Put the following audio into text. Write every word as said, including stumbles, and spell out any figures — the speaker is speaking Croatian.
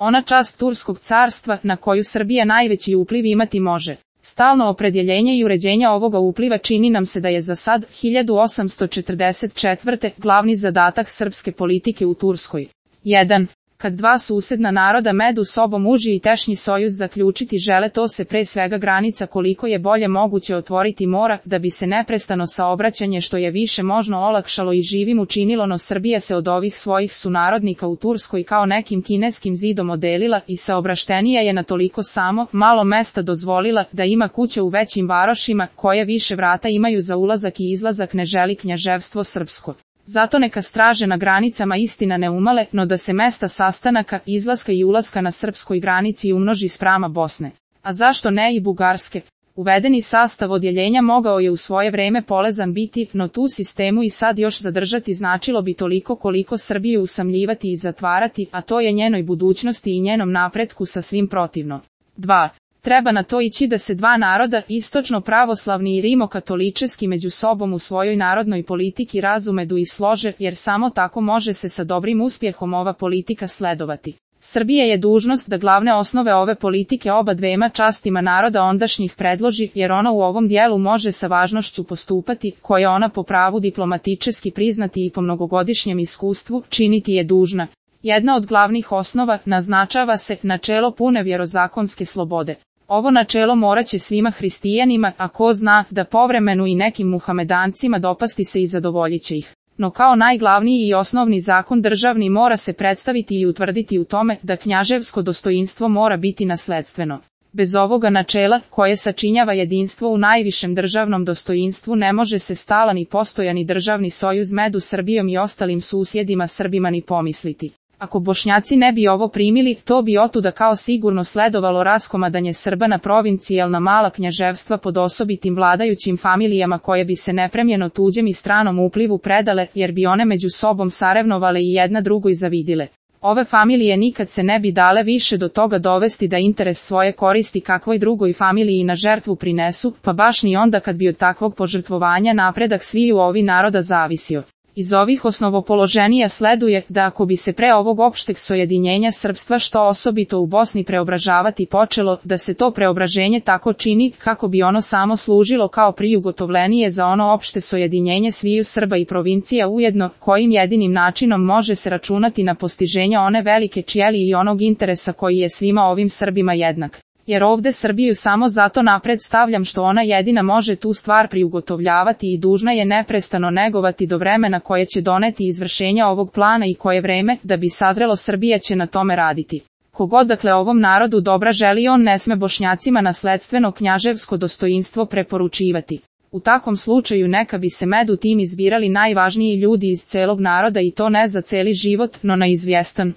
Ona čast Turskog carstva na koju Srbija najveći upliv imati može. Stalno opredjeljenje i uređenje ovoga upliva čini nam se da je za sad, hiljadu osamsto četrdeset četvrte. glavni zadatak srpske politike u Turskoj. jedan. Kad dva susedna naroda među sobom uži i tešnji sojuz zaključiti žele, to se pre svega granica koliko je bolje moguće otvoriti mora, da bi se neprestano saobraćanje što je više možno olakšalo i živim učinilo, no Srbija se od ovih svojih sunarodnika u Turskoj kao nekim kineskim zidom odelila i saobraštenija je na toliko samo malo mesta dozvolila da ima kuće u većim varošima koje više vrata imaju za ulazak i izlazak ne želi knjaževstvo srpsko. Zato neka straže na granicama istina ne umale, no da se mesta sastanaka, izlaska i ulaska na srpskoj granici umnoži sprama Bosne. A zašto ne i Bugarske? Uvedeni sastav odjeljenja mogao je u svoje vreme polezan biti, no tu sistemu i sad još zadržati značilo bi toliko koliko Srbiju usamljivati i zatvarati, a to je njenoj budućnosti i njenom napretku sasvim protivno. dva. Treba na to ići da se dva naroda, istočno pravoslavni i rimokatoličeski, među sobom u svojoj narodnoj politiki razumedu i slože, jer samo tako može se sa dobrim uspjehom ova politika sledovati. Srbija je dužnost da glavne osnove ove politike oba dvema častima naroda ondašnjih predloži, jer ona u ovom dijelu može sa važnošću postupati, koje ona po pravu diplomatičeski priznati i po mnogogodišnjem iskustvu činiti je dužna. Jedna od glavnih osnova naznačava se načelo pune vjerozakonske slobode. Ovo načelo moraće svima hristijanima, a ko zna da povremenu i nekim muhamedancima dopasti se i zadovoljit će ih. No kao najglavniji i osnovni zakon državni mora se predstaviti i utvrditi u tome da knjaževsko dostoinstvo mora biti nasledstveno. Bez ovoga načela, koje sačinjava jedinstvo u najvišem državnom dostoinstvu, ne može se stalan i postojani državni sojuz među Srbijom i ostalim susjedima Srbima ni pomisliti. Ako Bošnjaci ne bi ovo primili, to bi otuda kao sigurno sledovalo raskomadanje Srba na provincijalna mala knjaževstva pod osobitim vladajućim familijama koje bi se nepremljeno tuđem i stranom uplivu predale, jer bi one među sobom sarevnovale i jedna drugoj zavidile. Ove familije nikad se ne bi dale više do toga dovesti da interes svoje koristi kakvoj drugoj familiji na žrtvu prinesu, pa baš ni onda kad bi od takvog požrtvovanja napredak sviju ovi naroda zavisio. Iz ovih osnovopoloženija sleduje da ako bi se pre ovog opšteg sojedinjenja srpstva što osobito u Bosni preobražavati počelo, da se to preobraženje tako čini kako bi ono samo služilo kao prijugotovljenije za ono opšte sojedinjenje sviju Srba i provincija ujedno, kojim jedinim načinom može se računati na postiženje one velike čjeli i onog interesa koji je svima ovim Srbima jednak. Jer ovde Srbiju samo zato napred stavljam što ona jedina može tu stvar priugotovljavati i dužna je neprestano negovati do vremena koje će doneti izvršenja ovog plana i koje vreme, da bi sazrelo Srbija će na tome raditi. Kogod dakle ovom narodu dobra želi, on ne sme Bošnjacima nasledstveno knjaževsko dostoinstvo preporučivati. U takvom slučaju neka bi se među tim izbirali najvažniji ljudi iz celog naroda i to ne za celi život, no na izvjestan